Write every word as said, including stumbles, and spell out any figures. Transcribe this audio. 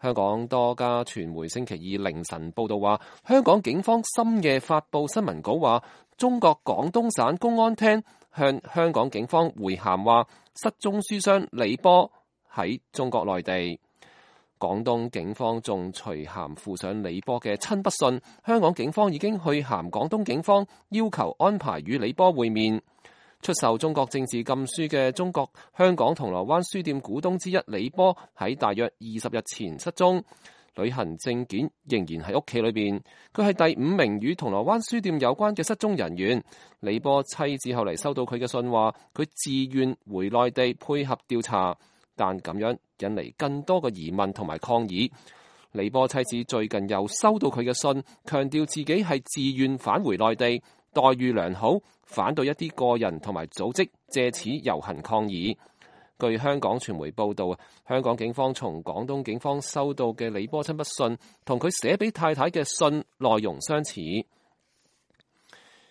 香港多家傳媒星期二凌晨報道話，香港警方深夜發布新聞稿話，中國廣東省公安廳向香港警方回函話，失蹤書商李波喺中國內地。廣東警方仲隨函附上李波嘅親筆信，香港警方已經去函廣東警方，要求安排與李波會面。出售中國政治禁書嘅中國香港銅鑼灣書店股東之一李波喺大約二十日前失蹤，旅行證件仍然喺屋企裏邊。佢係第五名與銅鑼灣書店有關嘅失蹤人員。李波妻子後嚟收到佢嘅信話，佢自願回內地配合調查，但咁樣引嚟更多嘅疑問同埋抗議。李波妻子最近又收到佢嘅信，強調自己係自願返回內地，待遇良好，反對一啲個人同埋組織借此遊行抗議。據香港傳媒報道，香港警方從廣東警方收到嘅李波親筆信，同佢寫俾太太嘅信內容相似。